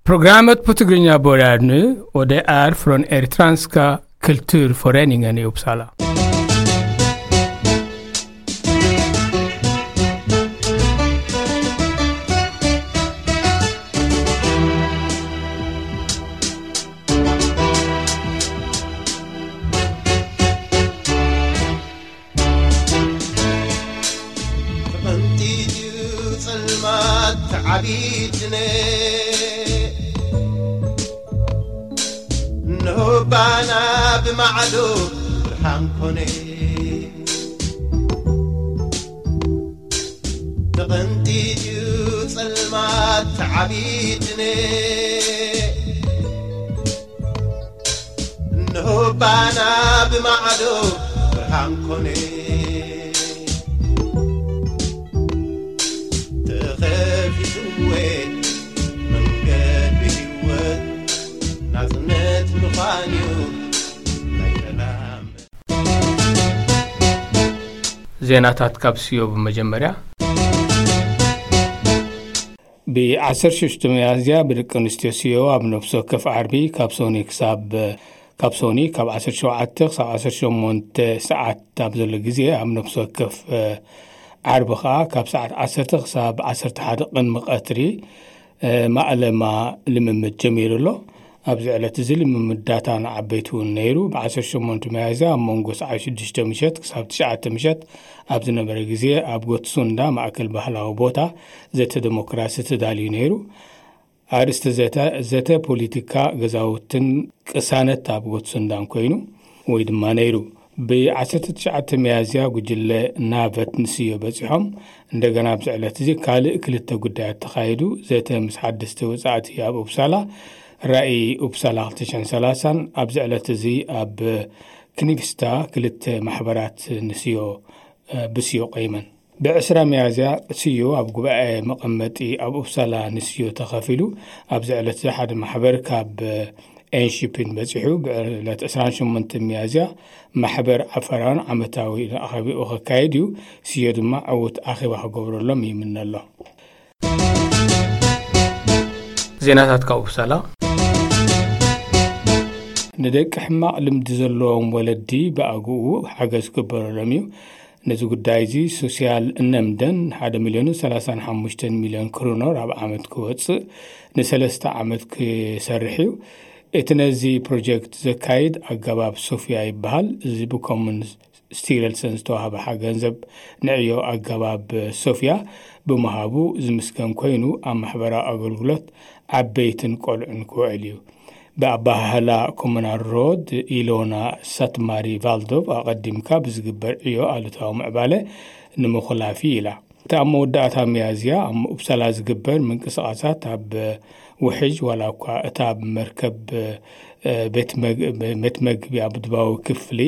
Programmet på Tigrinya börjar nu och det är från Eritreanska kulturföreningen i Uppsala. ተቐንጢጥዩ ጸልማት ተዓቢትነ እንሆ ባና ብማዕዶ ብርሃን ኮነ። ተቐንጢጥዩ ጸልማት ተዓቢትነ እንሆ ባና ብማዕዶ ብርሃን ኮነ። ተኸፊትወ መንገዲ ህይወት ናጽነት ምዃን እዩ ናይ ሰላም። ዜናታት ካብ ስዮ ብመጀመርያ። ብ ዓሰርተ ሽዱሽተ ሚያዝያ ብደቂ ኣንስትዮ ስዮ ኣብ ነፍሲ ወከፍ ዓርቢ ካብ ሶኒ ክሳብ ካብ ሶኒ ካብ ዓሰርተ ሸውዓተ ክሳብ ዓሰርተ ሸሞንተ ሰዓት ኣብ ዘሎ ግዜ ኣብ ነፍሲ ወከፍ ዓርቢ ከዓ ካብ ሰዓት ዓሰርተ ክሳብ ዓሰርተ ሓደ ቅድሚ ቀትሪ ማእለማ ልምምድ ጀሚሩ ኣሎ። ኣብዚ ዕለት እዚ ልምምድ ዳታ ንዓበይቲ እውን ነይሩ። ብ ዓሰርተ ሸሞንተ ሚያዝያ ኣብ መንጎ ሰዓት ሽዱሽተ ምሸት ክሳብ ትሽዓተ ምሸት ኣብ ዝነበረ ግዜ ኣብ ጎትሱንዳ ማእከል ባህላዊ ቦታ ዘተ ዴሞክራሲ ተዳልዩ ነይሩ። ኣርእስቲ ዘተ ዘተ ፖሊቲካ ገዛውትን ቅሳነት ኣብ ጎትሱንዳን ኮይኑ ወይ ድማ ነይሩ። ብ ዓሰርተ ትሽዓተ ሚያዝያ ጉጅለ ናቨት ንስዮ በጺሖም። እንደገና ኣብዚ ዕለት እዚ ካልእ ክልተ ጉዳያት ተኻይዱ። ዘተ ምስ ሓደስቲ ወጻእቲ ኣብ ኡፕሳላ ራእይ ኡፕሳላ ክልተ ሽሕን ሰላሳን ኣብዚ ዕለት እዚ ኣብ ክኒቭስታ ክልተ ማሕበራት ንስዮ ብስዮ ቆይመን። ብዕስራ ሚያዝያ ስዮ ኣብ ጉባኤ መቐመጢ ኣብ ኡፕሳላ ንስዮ ተኸፊሉ። ኣብዚ ዕለት እዚ ሓደ ማሕበር ካብ ኤንሺፒን በጺሑ። ብዕለት ዕስራን ሸሞንተን ሚያዝያ ማሕበር ዓፋራውያን ዓመታዊ ኣኼባኡ ከካይድ እዩ። ስዮ ድማ ዕዉት ኣኼባ ክገብረሎም ይምነ ኣሎ። ዜናታት ካብ ኡፕሳላ። ንደቂ ሕማቕ ልምዲ ዘለዎም ወለዲ ብኣግኡ ሓገዝ ክግበረሎም እዩ። ነዚ ጉዳይ እዚ ሶስያል እነምደን ሓደ ሚልዮን ሰላሳን ሓሙሽተን ሚልዮን ክሩኖር ኣብ ዓመት ክወጽእ ንሰለስተ ዓመት ክሰርሕ እዩ። እቲ ነዚ ፕሮጀክት ዘካይድ ኣገባብ ሶፍያ ይበሃል። እዚ ብኮሙን ስቲረልሰን ዝተዋህበ ሓ ገንዘብ ንዕዮ ኣገባብ ሶፍያ ብምሃቡ ዝምስገን ኮይኑ ኣብ ማሕበራዊ ኣገልግሎት ዓበይትን ቆልዑን ክውዕል እዩ። ብኣባሃህላ ኮሙናል ሮድ ኢሎና ሳትማሪ ቫልዶቭ ኣቐዲምካ ብዝግበር ዕዮ ኣሉታዊ ምዕባለ ንምኹላፍ ኢላ። እቲ ኣብ መወዳእታ ሚያዝያ ኣብ ኡፕሳላ ዝግበር ምንቅስቓሳት ኣብ ውሕጅ ዋላ እኳ እታ ኣብ መርከብ ቤት መግቢ ኣብ ድባዊ ክፍሊ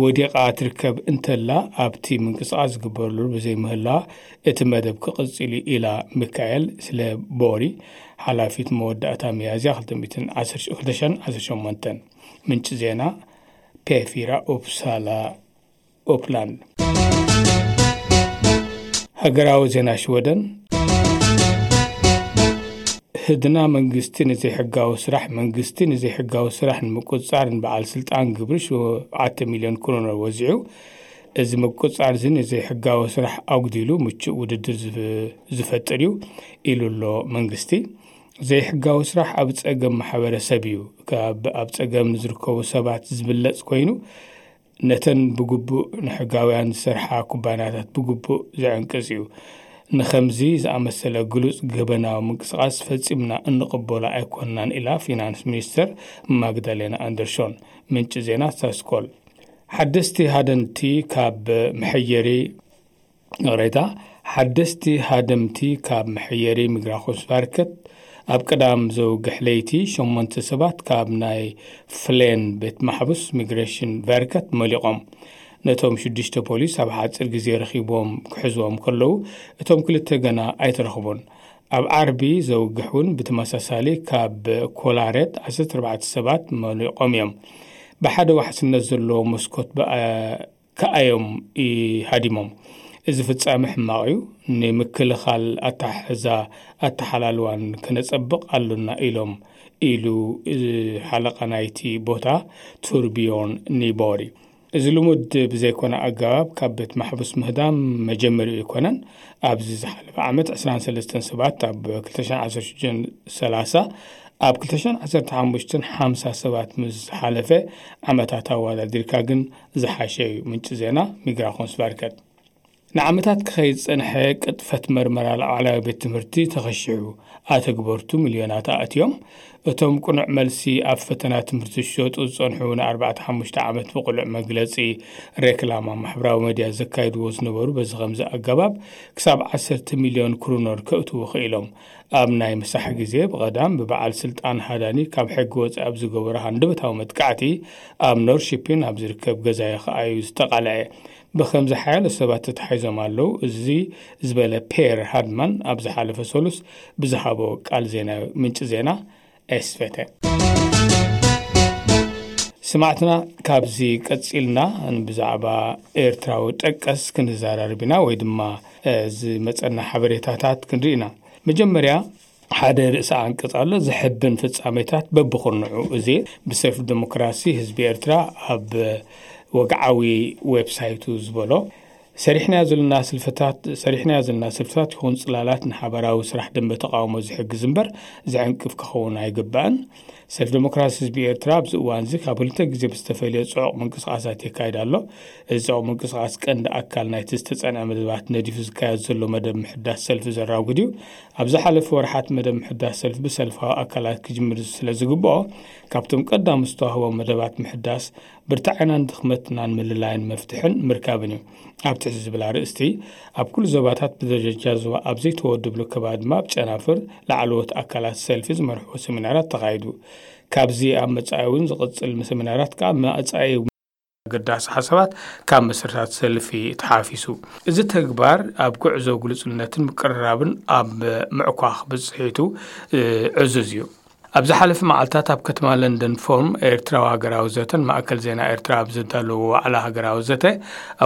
ወዲቓ ትርከብ እንተላ ኣብቲ ምንቅስቓስ ዝግበረሉ ብዘይምህላዋ እቲ መደብ ክቕጽል እዩ ኢላ። ሚካኤል ስለ ቦሪ ሓላፊት መወዳእታ ሚያዝያ ክልተ ሚእትን ዓሰርተ ሸሞንተን። ምንጪ ዜና ፔፊራ ኡፕሳላ ኦፕላንድ። ሃገራዊ ዜና ሽወደን። ህድና መንግስቲ ንዘይሕጋዊ ስራሕ መንግስቲ ንዘይሕጋዊ ስራሕ ንምቁፅፃር ንበዓል ስልጣን ግብሪ ሸውዓተ ሚልዮን ክሮነር ወዚዑ። እዚ ምቁፅፃር እዚ ንዘይሕጋዊ ስራሕ ኣጉዲሉ ምቹእ ውድድር ዝፈጥር እዩ ኢሉ ኣሎ መንግስቲ። ዘይሕጋዊ ስራሕ ኣብ ፀገም ማሕበረሰብ እዩ። ካብ ኣብ ፀገም ንዝርከቡ ሰባት ዝብለፅ ኮይኑ ነተን ብግቡእ ንሕጋውያን ዝሰርሓ ኩባንያታት ብግቡእ ዘዕንቅጽ እዩ። ንኸምዚ ዝኣመሰለ ግሉጽ ገበናዊ ምንቅስቓስ ፈጺምና እንቕበሎ ኣይኮንናን ኢላ ፊናንስ ሚኒስተር ማግዳሌና ኣንደርሾን። ምንጪ ዜና ሳስኮል። ሓደስቲ ሃደንቲ ካብ መሐየሪ ይቕሬታ፣ ሓደስቲ ሃደምቲ ካብ መሐየሪ ሚግራኾስቫርከት ኣብ ቀዳም ዘውግሕ ለይቲ ሸሞንተ ሰባት ካብ ናይ ፍሌን ቤት ማሕቡስ ሚግሬሽን ቨርከት መሊቖም። ነቶም ሽዱሽተ ፖሊስ ኣብ ሓፂር ግዜ ረኺቦም ክሕዝዎም ከለዉ እቶም ክልተ ገና ኣይተረኽቡን። ኣብ ዓርቢ ዘውግሕ እውን ብተመሳሳሊ ካብ ኮላሬት ዓሰርተ ኣርባዕተ ሰባት መሊቖም እዮም። ብሓደ ዋሕስነት ዘለዎ መስኮት ከኣዮም ይሃዲሞም። እዚ ፍጻመ ሕማቕ እዩ። ንምክልኻል ኣተሓሕዛ ኣተሓላልዋን ከነጸብቕ ኣሎና ኢሎም ኢሉ ሓለቓ ናይቲ ቦታ ቱርቢዮን ኒቦሪ። እዚ ልሙድ ብዘይኮነ ኣገባብ ካብ ቤት ማሕቡስ ምህዳም መጀመሪኡ ኣይኮነን። ኣብዚ ዝሓለፈ ዓመት ዕስራን ሰለስተን ሰባት ኣብ ክልተ ሽሕን ዓሰርተ ሽዱሽተን ሰላሳ፣ ኣብ ክልተ ሽሕን ዓሰርተ ሓሙሽተን ሓምሳ ሰባት ምስ ዝሓለፈ ዓመታት ኣወዳዲርካ ግን ዝሓሸ እዩ። ምንጪ ዜና ሚግራኾንስ ቫርከት። ንዓመታት ክኸይድ ዝጸንሐ ቅጥፈት መርመራ ላዕለዋይ ቤት ትምህርቲ ተኸሺሑ። ኣተግበርቱ ሚልዮናት ኣእትዮም። እቶም ቅኑዕ መልሲ ኣብ ፈተና ትምህርቲ ዝሸጡ ዝጸንሑ ንኣርባዕተ ሓሙሽተ ዓመት ብቕሉዕ መግለጺ ሬክላማ ማሕበራዊ መድያ ዘካይድዎ ዝነበሩ በዚ ከምዚ ኣገባብ ክሳብ ዓሰርተ ሚልዮን ክሩኖር ከእትዉ ክኢሎም። ኣብ ናይ ምሳሕ ግዜ ብቐዳም ብበዓል ስልጣን ሃዳኒ ካብ ሕጊ ወጻኢ ኣብ ዝገበሮ ሃንደበታዊ መጥቃዕቲ ኣብ ኖርሺፒን ኣብ ዝርከብ ገዛዮ ከኣ እዩ ዝተቓልዐ። ብኸምዚ ሓያሎ ሰባት ተታሒዞም ኣለዉ። እዚ ዝበለ ፔር ሃድማን ኣብ ዝሓለፈ ሰሉስ ብዝሃቦ ቃል ዜና ምንጪ ዜና ኤስቬተ። ስማዕትና፣ ካብዚ ቀጺልና ብዛዕባ ኤርትራዊ ጠቀስ ክንዘራረብ ኢና፣ ወይ ድማ፣ እ፣ ዝመጸና ሓበሬታታት ክንርኢ ኢና። መጀመርያ፣ ሓደ ርእሰ ኣንቀጽ ኣሎ፣ ዘሕብን ፍጻሜታት በብኹርንዑ። እዚ ብሰልፊ ዲሞክራሲ ህዝቢ ኤርትራ ኣብ ወግዓዊ ዌብሳይቱ ዝበሎ፣ ሰሪሕናዮ ዘለና ስልፍታት፣ ሰሪሕናዮ ዘለና ስልፍታት ይኹን ጽላላት ንሓባራዊ ስራሕ ደንበ ተቃውሞ ዝሕግዝ እምበር ዝዕንቅፍ ክኸውን ኣይግባእን። ሰልፊ ዲሞክራሲ ህዝቢ ኤርትራ ኣብዚ እዋን እዚ ካብ ክልተ ግዜ ብዝተፈልየ ጽዑቕ ምንቅስቃሳት የካይድ ኣሎ። እዚ ጽዑቕ ምንቅስቃስ ቀንዲ ኣካል ናይቲ ዝተጸንዐ መደባት ነዲፉ ዝካየድ ዘሎ መደብ ምሕዳስ ሰልፊ ዘራጉድ እዩ። ኣብ ዝሓለፈ ወርሓት መደብ ምሕዳስ ሰልፊ ብሰልፋዊ ኣካላት ክጅምር ስለ ዝግብኦ፣ ካብቶም ቀዳሞት ዝተዋህቦም መደባት ምሕዳስ ብርታዕናን ድኽመትናን ምልላይን መፍትሕን ምርካብን እዩ። ኣብ ትሕቲ ዝብል ኣርእስቲ፣ ኣብ ኩሉ ዞባታት ብደረጃ ዞባ ኣብ ዘይተወደብሉ ከባቢ ድማ ኣብ ጨናፍር ላዕለዎት ኣካላት ሰልፊ ዝመርሕዎ ሰሚናራት ተኻይዱ። ካብዚ ኣብ መጻኢ እውን ዝቕጽል ሰሚናራት ከኣ መጻኢ ኣገዳሲ ሓሳባት ካብ መስርታት ሰልፊ ተሓፊሱ። እዚ ተግባር ኣብ ጉዕዞ ግሉጽነትን ምቅርራብን ኣብ ምዕኳኽ ብጽሒቱ፣ እ፣ ዕዙዝ እዩ። ኣብ ዝሓለፈ መዓልታት ኣብ ከተማ ለንደን ፎርም ኤርትራዊ ሃገራዊ ዘተን ማእከል ዜና ኤርትራ ኣብ ዘዳለዎ ዋዕላ ሃገራዊ ዘተ፣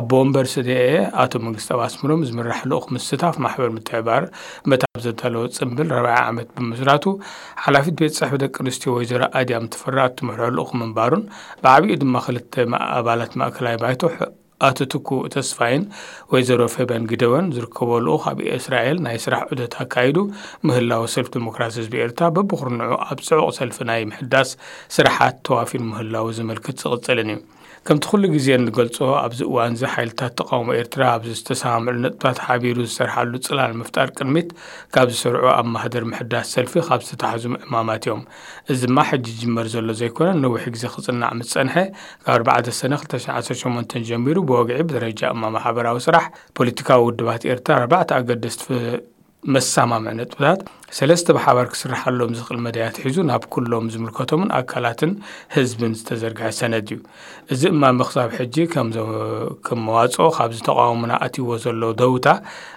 ኣቦ ወንበር ሰዲኤ ኣቶ መንግስተኣብ ኣስመሮም ዝምራሕ ልኡኽ ምስታፍ ማሕበር ምትሕብባር መት ኣብ ዘዳለዎ ጽምብል ራብዓይ ዓመት ብምስራቱ፣ ሓላፊት ቤት ጽሕፈት ደቂ ኣንስትዮ ወይዘሮ ኣድያም ተፈራ እትመርሖ ልኡኽ ምንባሩን፣ ብዓቢኡ ድማ ክልተ ማ-፣ ኣባላት ማእከላይ ባይቶ ሕ-፣ ኣቶ ትኩእ ተስፋይን ወይዘሮ ፌበን ግደወን ዝርከቦ ልኡኽ ኣብ እስራኤል ናይ ስራሕ ዑደት ኣካይዱ ምህላው ሰልፊ ዲሞክራሲ ህዝቢ ኤርትራ በብኹርንዑ ኣብ ጽዑቕ ሰልፊ ናይ ምሕዳስ ስራሓት ተዋፊሩ ምህላው ዝምልክት ዝቕጽልን እዩ። ከምቲ ኩሉ ግዜ እንገልጾ፣ ኣብዚ እዋን እዚ ሓይልታት ተቃውሞ ኤርትራ ኣብዚ ዝተሰማምዑ ነጥብታት ሓቢሩ ዝሰርሓሉ ጽላል ምፍጣር ቅድሚት ካብ ዝሰርዑ ኣብ ማህደር ምሕዳስ ሰልፊ ካብ ዝተታሕዙ ዕማማት እዮም። እዚ ድማ ሕጂ ዝጅመር ዘሎ ዘይኮነ፣ ነዊሕ ግዜ ክጽናዕ ምስ ጸንሐ፣ ካብ ኣርባዕተ ሰነ ክልተ ሽሕን ዓሰርተ ሸሞንተን ጀሚሩ ብወግዒ ብደረጃ እማመ ሓበራዊ ስራሕ ፖለቲካዊ ውድባት ኤርትራ ኣርባዕተ ኣገደስቲ ፍ-፣ መሰማምዒ ነጥብታት፣ ሰለስተ ብሓባር ክስርሓሎም ዝኽእል መዳያት ሒዙ ናብ ኩሎም ዝምልከቶምን ኣካላትን ህዝብን ዝተዘርግሐ ሰነድ እዩ። እዚ እማመ ክሳብ ሕጂ ከም ዘ-፣ ከም መዋጽኦ ካብዚ ተቃውሞና ኣትይዎ ዘሎ ደውታ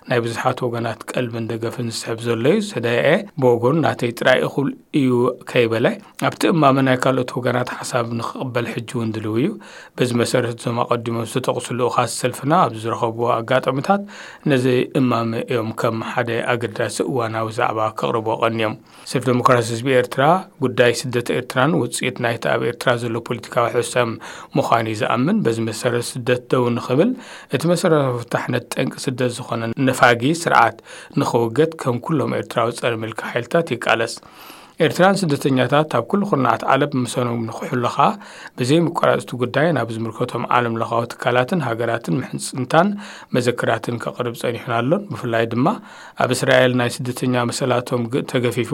ናይ ብዙሓት ወገናት ቀልብን ደገፍን ዝስሕብ ዘሎ እዩ። ሰደኤ ብወገኑ ናተይ ጥራይ እኹል እዩ ከይበለ፣ ኣብቲ እማመ ናይ ካልኦት ወገናት ሓሳብ ንክቕበል ሕጂ እውን ድልው እዩ። በዚ መሰረት እዞም ኣቐዲሞም ዝተጠቕሱ ልኡኻት ሰልፍና ኣብ ዝረኸብዎ ኣጋጣሚታት ነዚ እማመ እዮም ከም ሓደ ኣገዳሲ እዋናዊ ዛዕባ ከቕርቦ ቀንዮም። ሰልፊ ዲሞክራሲ ህዝቢ ኤርትራ ጉዳይ ስደት ኤርትራን ውጽኢት ናይቲ ኣብ ኤርትራ ዘሎ ፖለቲካዊ ሕሰም ምዃኑ እዩ ዝኣምን። በዚ መሰረት ስደት ደው ንኽብል እቲ መሰረታዊ ፍታሕነት ጠንቂ ስደት ዝኾነ ነፋጊ ስርዓት ንኽውገድ ከም ኩሎም ኤርትራዊ ጸረ ምልኪ ሓይልታት ይቃለስ። ኤርትራን ስደተኛታት ኣብ ኩሉ ኩርናዓት ዓለም ምሰኖም ንክሕሉ ኸኣ ብዘይምቁራጽ እቲ ጉዳይ ናብ ዝምልከቶም ዓለም ለኻዊ ትካላትን ሃገራትን ምሕጽንታን መዘክራትን ከቕርብ ጸኒሑን ኣሎን። ብፍላይ ድማ ኣብ እስራኤል ናይ ስደተኛ መሰላቶም ግ-፣ ተገፊፉ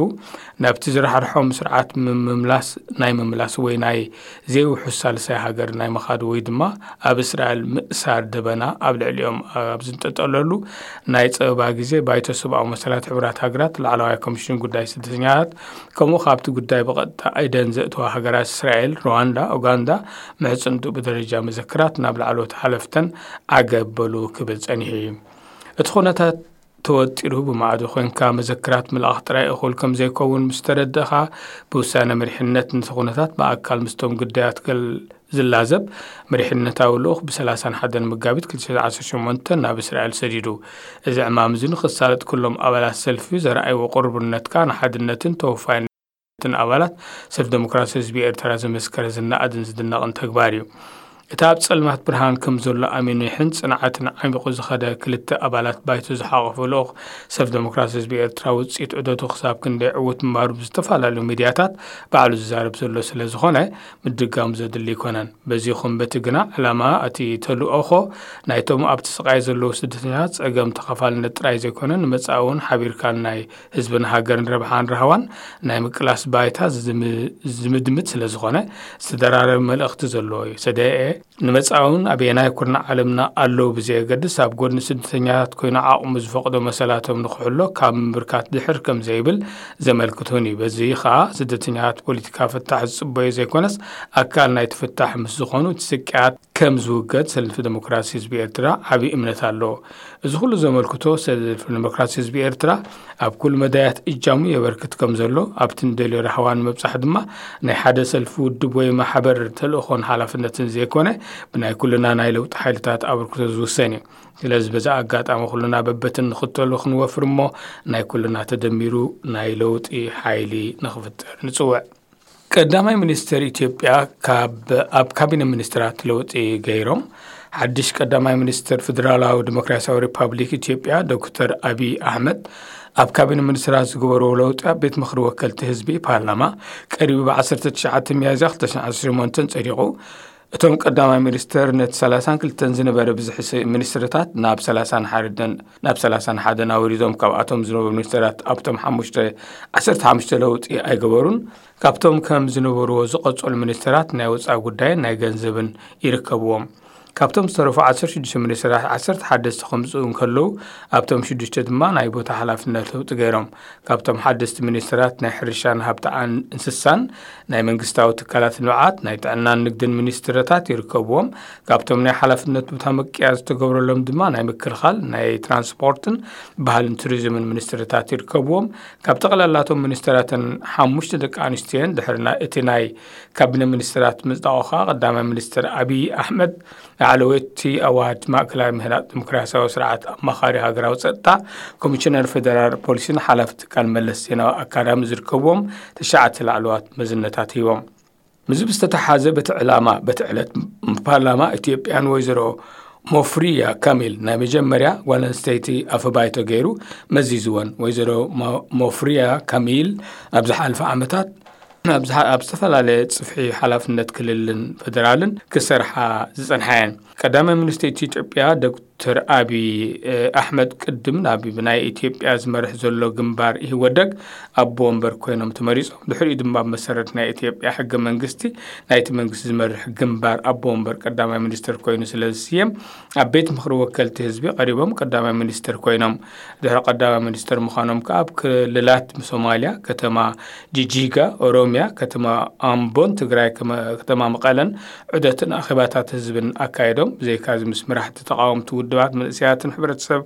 ናብቲ ዝራሕርሖም ስርዓት ምምላስ፣ ናይ ምምላስ ወይ ናይ ዘይውሑስ ሳልሳይ ሃገር ናይ ምኻድ ወይ ድማ ኣብ እስራኤል ምእሳር ደበና ኣብ ልዕሊኦም ኣብ ዝንጠጠለሉ ናይ ጸበባ ግዜ፣ ባይቶ ሰብኣዊ መሰላት ሕቡራት ሃገራት፣ ላዕለዋይ ኮሚሽን ጉዳይ ስደተኛታት፣ ከምኡ ካብቲ ጉዳይ ብቐጥታ ኣይደን ዘእተዋ ሃገራት እስራኤል፣ ሩዋንዳ፣ ኡጋንዳ ምሕጽንትኡ ብደረጃ መዘክራት ናብ ላዕለዎት ሓለፍተን ዓገብ በሉ ክብል ጸኒሑ እዩ። እቲ ኩነታት ተወጢሩ ብማዕዶ ኮይንካ መዘክራት ምልኣኽ ጥራይ እኹል ከም ዘይከውን ምስ ተረድእኻ፣ ብውሳነ መሪሕነት ነቲ ኩነታት ብኣካል ምስቶም ግዳያት ገል ዝላዘብ መሪሕነታዊ ልኡኽ ብ ሰላሳን ሓደን መጋቢት ክልተ ሽሕን ዓሰርተ ሸሞንተን ናብ እስራኤል ሰዲዱ። እዚ ዕማም እዚ ንኽሳለጥ ኩሎም ኣባላት ሰልፊ ዘርኣይዎ ቅርቡነትካ ንሓድነትን ተወፋይነትን ኣባላት ሰልፊ ደሞክራሲ ህዝቢ ኤርትራ ዘመስከረ ዝነኣድን ዝድነቕን ተግባር እዩ። እቲ ኣብ ጸልማት ብርሃን ከም ዘሎ ኣሚኑ ይሕን ጽንዓትን ዓሚቑ ዝኸደ ክልተ ኣባላት ባይቶ ዝሓቖፈ ልኡኽ ሰልፊ ደሞክራሲ ህዝቢ ኤርትራ ውጽኢት ዑደቱ ክሳብ ክንደይ ዕዉት ምንባሩ ብዝተፈላለዩ ሚድያታት ባዕሉ ዝዛረብ ዘሎ ስለ ዝኾነ ምድጋሙ ዘድሊ ኣይኮነን። በዚ ይኹን በቲ ግና ዕላማ እቲ ተልእኾ ናይቶም ኣብቲ ስቓይ ዘለዉ ስደተኛታት ጸገም ተኻፋልነት ጥራይ ዘይኮነ ንመጻኢ እውን ሓቢርካ ናይ ህዝብን ሃገርን ረብሓን ራህዋን ናይ ምቅላስ ባይታ ዝም-፣ ዝምድምት ስለ ዝኾነ ዝተደራረበ መልእኽቲ ዘለዎ እዩ። ሰደኤ ንመጻኢውን ኣበየናይ ኩርናዕ ዓለምና ኣለዉ ብዘየገድስ ኣብ ጎድኒ ስደተኛታት ኮይኑ ዓቕሙ ዝፈቕዶ መሰላቶም ንክሕሎ ካብ ምምብርካት ድሕር ከም ዘይብል ዘመልክት እውን እዩ። በዚ ኸኣ ስደተኛታት ፖለቲካ ፍታሕ ዝጽበዩ ዘይኮነስ ኣካል ናይቲ ፍታሕ ምስ ዝኾኑ እቲ ስቅያት ከም ዝውገድ ሰልፊ ደሞክራሲ ህዝቢ ኤርትራ ዓቢ እምነት ኣለዎ። እዚ ኩሉ ዘመልክቶ ሰልፊ ደሞክራሲ ህዝቢ ኤርትራ ኣብ ኩሉ መዳያት እጃሙ የበርክት ከም ዘሎ ኣብቲ ንደልዮ ራህዋ ንምብጻሕ ድማ ናይ ሓደ ሰልፊ ውድብ ወይ ማሕበር ተልእኾን ሓላፍነትን ዘይኮነ ብናይ ኩልና ናይ ለውጢ ሓይልታት ኣበርክቶ ዝውሰን እዩ። ስለዚ በዚ ኣጋጣሚ ኩልና በበትን ንኽተሉ ክንወፍር እሞ ናይ ኩልና ተደሚሩ ናይ ለውጢ ሓይሊ ንኽፍጠር ንጽውዕ። ቀዳማይ ሚኒስተር ኢትዮጵያ ካብ፣ ኣብ ካቢነ ሚኒስትራት ለውጢ ገይሮም። ሓድሽ ቀዳማይ ሚኒስተር ፌደራላዊ ዲሞክራሲያዊ ሪፓብሊክ ኢትዮጵያ ዶክተር ኣቢይ ኣሕመድ ኣብ ካቢነ ሚኒስትራት ዝገበርዎ ለውጢ ኣብ ቤት ምኽሪ ወከልቲ ህዝቢ ፓርላማ ቀሪቡ ብ ዓሰርተ ትሽዓተ ሚያዝያ ክልተ ሽሕን ዓሰርተ ሸሞንተን ጸዲቑ። እቶም ቀዳማይ ሚኒስተር ነቲ ሰላሳን ክልተን ዝነበረ ብዝሒ ስ-፣ ሚኒስትርታት ናብ ሰላሳን ሓደን፣ ናብ ሰላሳን ሓደን ኣውሪዶም። ካብኣቶም ዝነበሩ ሚኒስተራት ኣብቶም ሓሙሽተ፣ ዓሰርተ ሓሙሽተ ለውጢ ኣይገበሩን። ካብቶም ከም ዝነበርዎ ዝቐጸሉ ሚኒስተራት ናይ ወጻኢ ጉዳይን ናይ ገንዘብን ይርከብዎም። ካብቶም ዝተረፉ ዓሰርተ ሽዱሽተ ሚኒስተራት ዓሰርተ ሓደስተ ከምጽኡ እንከለዉ፣ ኣብቶም ሽዱሽተ ድማ ናይ ቦታ ሓላፍነት ለውጢ ገይሮም። ካብቶም ሓደስቲ ሚኒስተራት ናይ ሕርሻን ሃብቲ ኣን-፣ እንስሳን ናይ መንግስታዊ ትካላት ልምዓት፣ ናይ ጥዕናን ንግድን ሚኒስትርታት ይርከብዎም። ካብቶም ናይ ሓላፍነት ቦታ ምቅያር ዝተገብረሎም ድማ ናይ ምክልኻል፣ ናይ ትራንስፖርትን ባህልን ቱሪዝምን ሚኒስትርታት ይርከብዎም። ካብ ጠቕላላቶም ሚኒስትራትን ሓሙሽተ ደቂ ኣንስትዮን ድሕሪ ናይ፣ እቲ ናይ ካቢነ ሚኒስትራት ምጽዳቑ ከኣ ቀዳማይ ሚኒስትር ኣቢይ ኣሕመድ ላዕለወይቲ ኣዋጅ ማእከላይ ምህናጽ ዲሞክራሲያዊ ስርዓት ኣማኻሪ ሃገራዊ ጸጥታ፣ ኮሚሽነር ፌደራል ፖሊስን ሓላፊ ትካል መለስ ዜናዊ ኣካዳሚ ዝርከብዎም ትሽዓተ ላዕለዋት መዝነታት ሂቦም። ምስዚ ብዝተተሓዘ በቲ ዕላማ፣ በቲ ዕለት ፓርላማ ኢትዮጵያ ንወይዘሮ ሞፍሪያ ካሚል ናይ መጀመርያ ጓል ኣንስተይቲ ኣፈ ባይቶ ገይሩ መዚዝወን። ወይዘሮ ሞ-፣ ሞፍሪያ ካሚል ኣብ ዝሓለፈ ዓመታት ኣብ ዝሓ-፣ ኣብ ዝተፈላለየ ጽፍሒ ሓላፍነት ክልልን ፌደራልን ክሰርሓ ዝጸንሓ እየን። ቀዳማይ ሚኒስትር ኢትዮጵያ ዶክተር ኣቢይ፣ እ፣ ኣሕመድ ቅድም ናብ ብናይ ኢትዮጵያ ዝመርሕ ዘሎ ግንባር ኢህወደግ ኣቦ ወንበር ኮይኖም ተመሪጾም። ድሕሪኡ ድማ ብመሰረት ናይ ኢትዮጵያ ሕገ መንግስቲ ናይቲ መንግስቲ ዝመርሕ ግንባር ኣቦ ወንበር ቀዳማይ ሚኒስትር ኮይኑ ስለ ዝስየም ኣብ ቤት ምኽሪ ወከልቲ ህዝቢ ቀሪቦም ቀዳማይ ሚኒስትር ኮይኖም። ድሕሪ ቀዳማይ ሚኒስትር ምዃኖም ከኣ ኣብ ክልላት ሶማልያ፣ ከተማ ጂጂጋ፣ ኦሮምያ፣ ከተማ ኣምቦን ትግራይ ከመ-፣ ከተማ መቐለን ዑደትን ኣኼባታት ህዝብን ኣካይዶም። ብዘይካዚ ምስ መራሕቲ ተቓወምቲ ውድባት፣ መንእሰያትን ሕብረተሰብ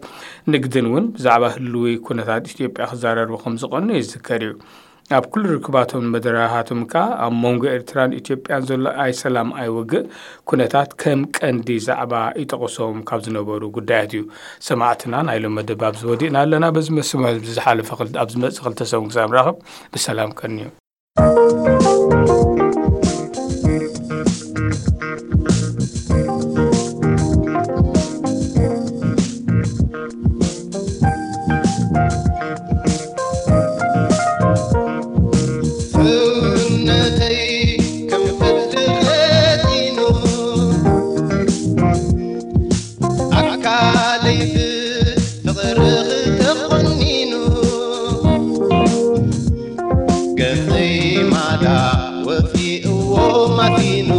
ንግድን እውን ብዛዕባ ህልዊ ኩነታት ኢትዮጵያ ክዘራረቡ ከም ዝቐኑ ይዝከር እዩ። ኣብ ኩሉ ርክባቶም መደረኻቶም ከኣ ኣብ መንጎ ኤርትራን ኢትዮጵያን ዘሎ ኣይሰላም ኣይውግእ ኩነታት ከም ቀንዲ ዛዕባ ይጠቕሶም ካብ ዝነበሩ ጉዳያት እዩ። ሰማዕትና፣ ናይ ሎም መደብ ኣብዚ ወዲእና ኣለና። በዚ መስመር ኣብዚ ዝሓለፈ ክል-፣ ኣብ ዝመጽእ ክልተ ሰሙን ክሳብ ንራኸብ ብሰላም ቀንዩ። ሰውነተይ ከም ፍርዲ ፈቲኑ፣ ኣካለይ ብፍቕርኺ ተቖኒኑ፣ ገጸይ ማዳ ወጺእዎ ማሲኑ፣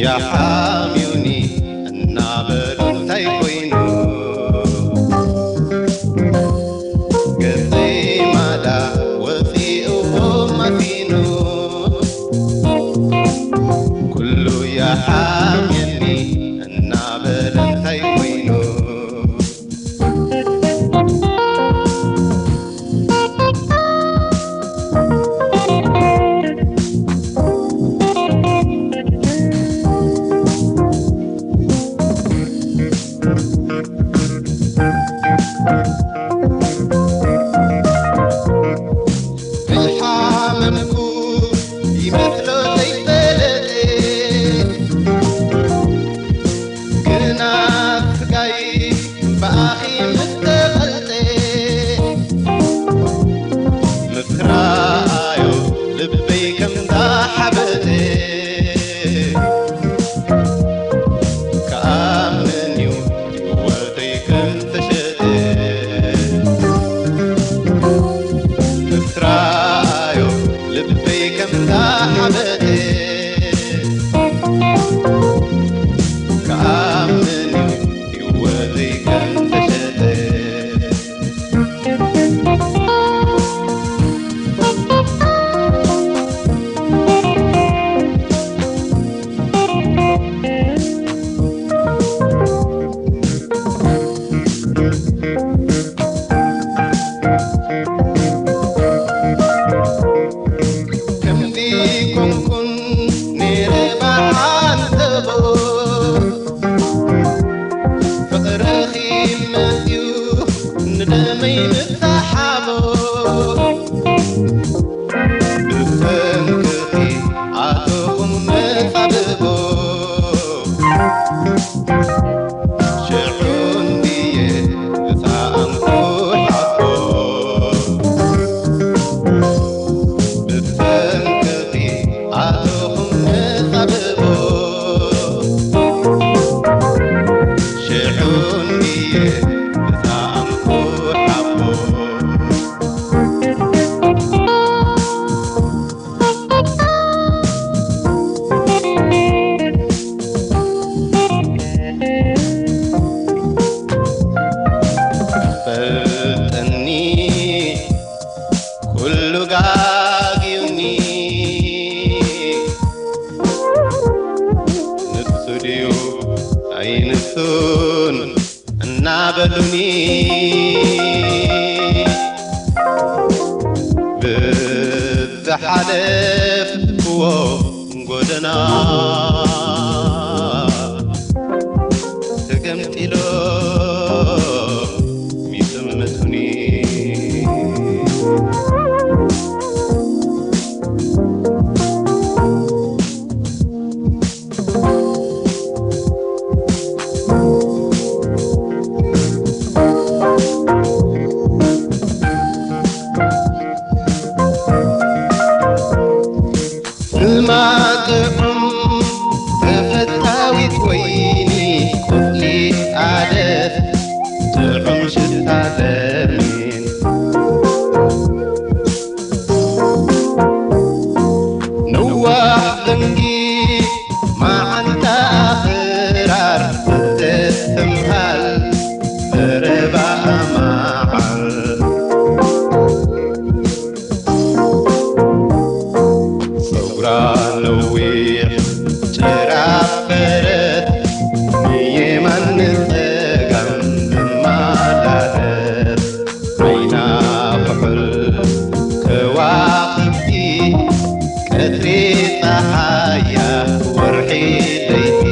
ያሓምዩኒ እናበሉ እንታይ ኮይኑ፣ ገጸይ ማዳ ወጺእዎ ማሲኑ፣ ኩሉ ያሓምየኒ እናበለ እንታይ ኮይኑ፣ ኩሉ ጋግዩኒ። ንሱ ድዩ ኣይንሱን እናበሉኒ፣ ብዝሓለፍክዎ ጎደና ተገምጢሎም ይጥምቱኒ። ስማ ጥዑም ተፈታዊት ወይኒ፣ ቁጽሊ ኣደስ ጥዑም ሽታ ለሚን። ነዋሕ ዘንጊ መዓንታ ኣኽራር ዝተስተምሃል ዘረባ ኣማዓር። ጸጉራ ነዊሕ ጭራ ፈረስ ንየማን ንጸጋም ትመላለስ። ዓይና ኩሕል ከዋኽብቲ ቀትሪ ጸሓያ ወርሒ ለይቲ።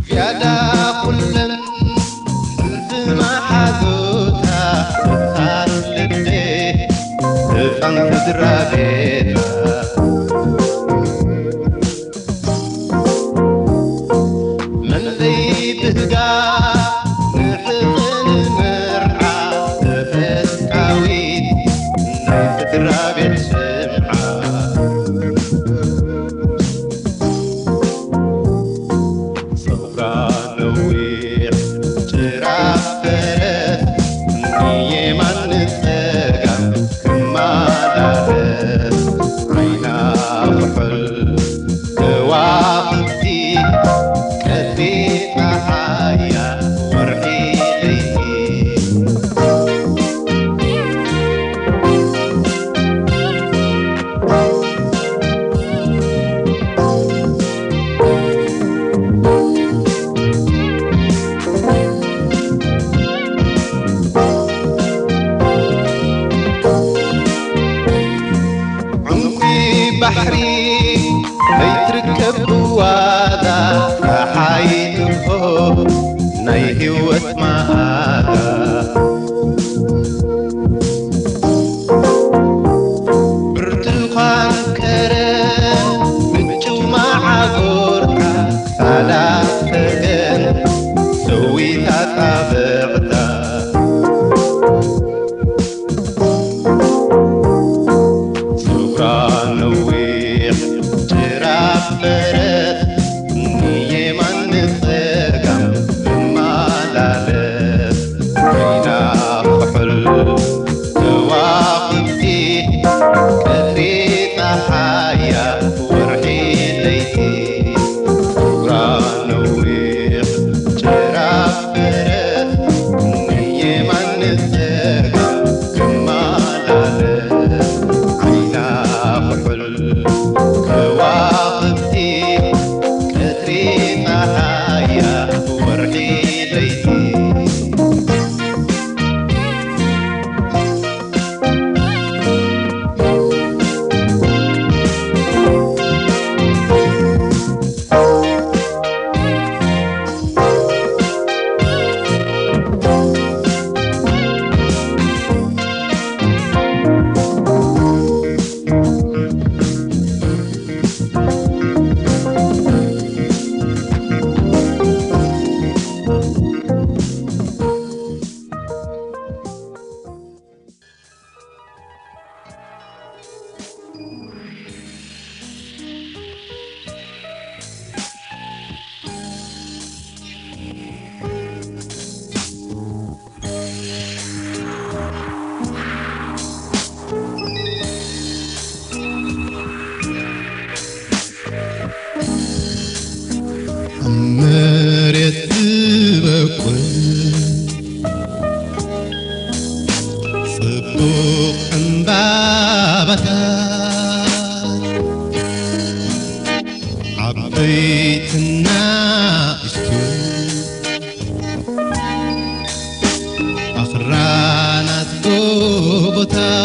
ዝያዳ ኩለን ሕልፊ መሓዙታ፣ ህጻን ልቤ፣ ህጻን ስድራ ቤታ። መን ዘይብህጋ ንሕቕን መርዓ፣ ተፈታዊት ናይ ስድራ ቤት ሽምዓ። ጸጉራ ነዊሕ ጭራ ፈረስ ንየማን ንጸጋም ክመላለስ፣ ዓይና ኩሕል ከዋኽብቲ ቀትሪ ጸሓያ ወርሒ ለይቲ። ዕንቁ ባሕሪ ዘይትርከብ ብዋዛ፣ ጸሓይ ትርሆ ናይ ህይወት መኣዛ። ብርቱኻን ከረን ምንጩ መዓኮርካ፣ ሳላ ሰገን ሰዊታ ጣብዕታ። ጸጉራ ነዊሕ ጭራ ፈረስ ንየማን ንጸጋም ትመላለስ። ዓይና ኩሕል ከዋኽብቲ ቀትሪ ጸሓያ ወርሒ ለይቲ። ጸጉራ ነዊሕ ጭራ ፈረስ ንየ ጽቡቕ ዕምባባታት ዓበይትና እሽቱ ኣኽራናት ጎቦታት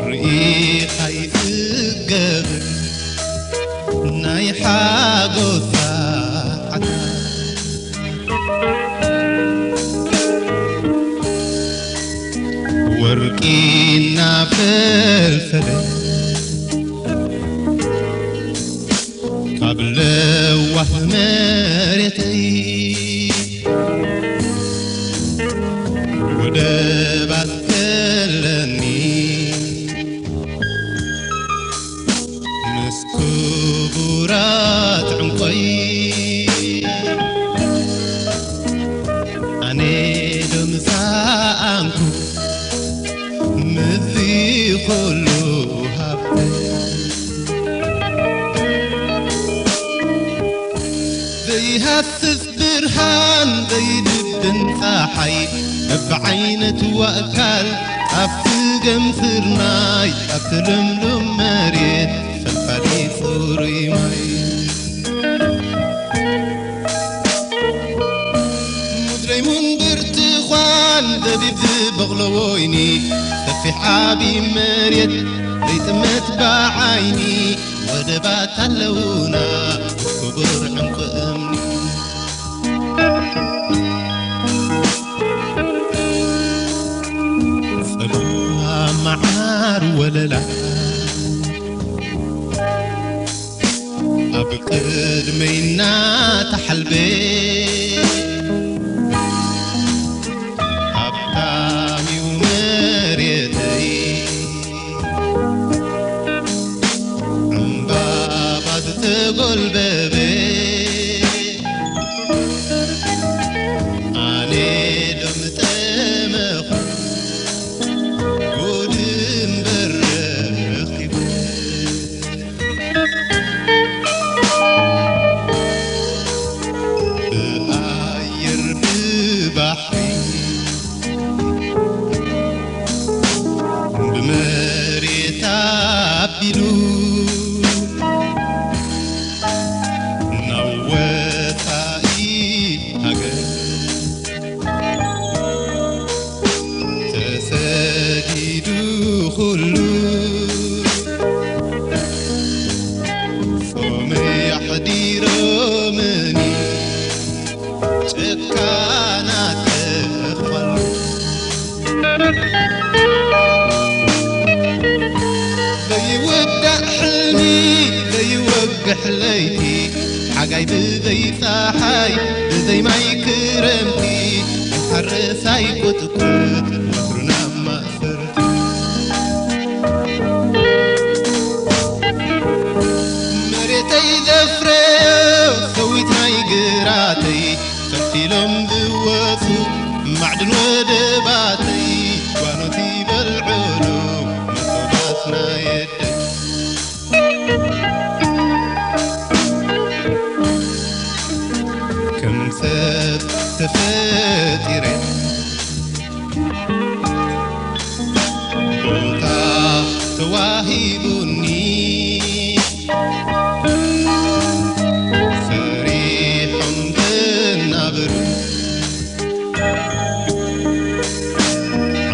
ርኢኻ ይጽገብን ናይ ሓጎስ ሰዓታት ወርቂ እናፈልፈለ ካብ ለዋህ መሬተይ ወደባት ከለኒ ምስ ክቡራት ዕንቆይ ኣነ ዶ ምሳኣንኩ ምዚ ኩሉ ሃብተይ ዘይሃስስ ብርሃን ዘይድብን ጸሓይ በብዓይነቱ ኣእካል ኣብቲ ገምስርናይ ኣብቲ ልምሉም መሬት ፈልፋሊ ጽሩይ ማይ ሙዝለይሙን ብርትኳን ዘቢብ ዝበቕሎ ወይኒ ሰፊሕ ዓቢ መሬት ዘይጥመት ብዓይኒ ወደባት ኣለውና ክቡር ዕንቁ እምኒ ጸባ መዓር ወለላ ኣብ ቅድመይ እናተሓልበ ሃብታም እዩ መሬተይ ዕምባባ ዝተጎልበበ ኣነ ዶ ምጠመኹ ጉድ እምበር ረኺቡ ብኣየር ብባሕሪ ብመሬት ኣቢሉ ናብ ወጻኢ ሃገር ተሰዲዱ ኩሉ ጾመይ ኣሕዲሮምኒ ጭካናት ተኽፋሉ ዘይውዳእ ሕልሚ ዘይወግሕ ለይቲ ሓጋይ ብዘይ ጸሓይ ብዘይ ማይ ክረምቲ ሓረሳይ ቁጥቁጥ ወትሩ ናብ ማእሰርቲ መሬተይ ዘፍረዮ ሰዊት ናይ ግራተይ ፈቲሎም ዝወፁ ማዕድን ወደባተይ ጓኖት ይበልዕሉ መሶባትና የደይ ከም ሰብ ተፈጢረ ቦታ ተዋሂቡኒ ሰሪሖም ዘናብሩ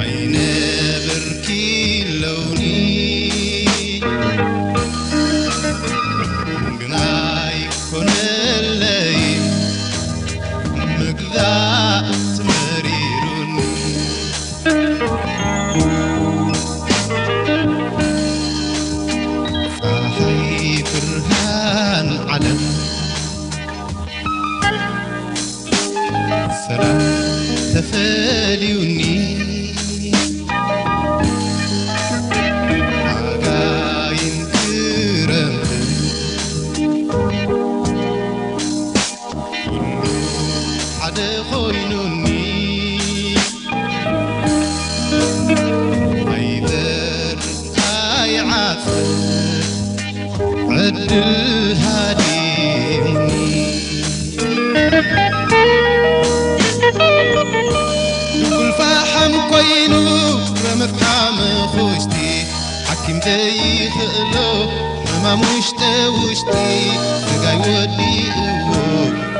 ዓይነ ብርኪ ለውኒ ግናይ ኮነለይ ምግዛእ መሪሩኒ ጸሓይ ብርሃን ዓለም ሰላም ተፈልዩኒ ሓጋይን ክረምትን ኩሉ ሓደ ኮይኑኒ ኣይበር ኣይዓጽር ዕድል ሃዲሙኒ ክእሎ ሕማም ውሽጠ ውሽጢ ስጋይ ወዲእዎ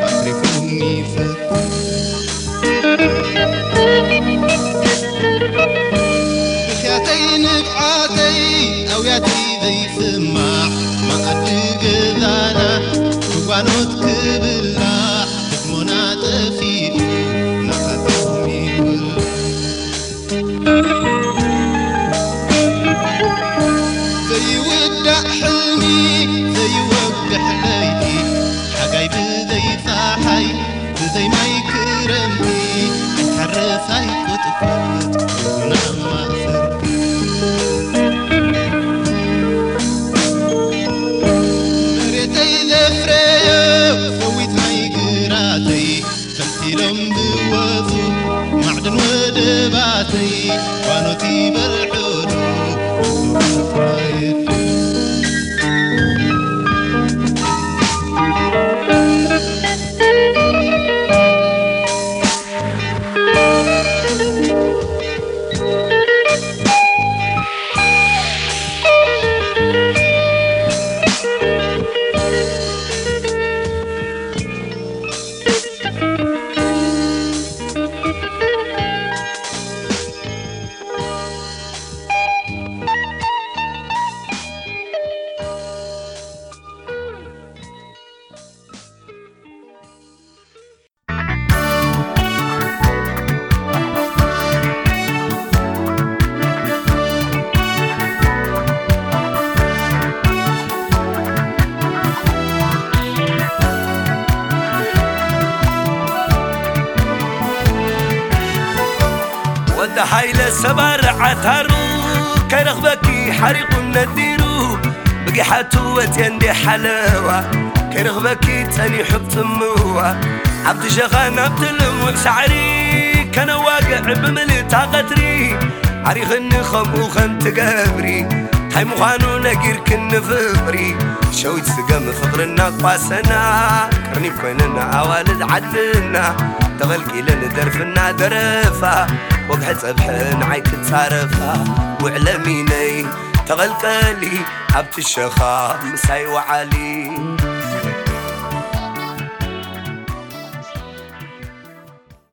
ኣትሪፉኒ ፈቱ። ብኽያተይ ንብዓተይ ኣውያተይ ዘይስማዕ መኣዲ ገዛና ክጓኖት ክብላዕ ደክሞና ጠፊኡ ናታቶም ይውላዕ። ዘይውዳእ ሕልሚ ዘይወግሕ ለይቲ ሓጋይ ብዘይ ጸሓይ ብዘይ ማይ ክረምቲ ሓረሳይ ቁጥቁጥ ኩሉና ማእሰርቲ። መሬተይ ዘፍረዮ ሰዊት ናይ ግራተይ ተምሲሎም ዝወፁ ማዕድን ወደባተይ ዋኖት ይበልዑሉ ወዲ ሃይለ ሰባር ዓታሩ ከይረኽበኪ ሓሪቑ ነዲሩ ብጊሓቱ ወፅየ እንደ ሓለዋ ከይረኽበኪ ጸኒሑ ብጽምዋ ኣብቲ ሸኻ ናብቲ ልሙዕ ሳዕሪ ከነዋግዕ ብምልእታ ቐትሪ ዓሪኽኒ ከምኡ ከም ትገብሪ እንታይ ምዃኑ ነጊርክኒ ፍቕሪ ሸዊት ስገም ፍቕርና ቋሰና ቅርኒብ ኮይነና ኣዋልድ ዓድና ተቐልቂለን ደርፍና ደረፋ ወግሐ ጸብሐ ንዓይ ክጻረፋ ውዕለሚነይ ተቐልቀሊ ኣብቲ ሸኻ ምሳይ ወዓሊ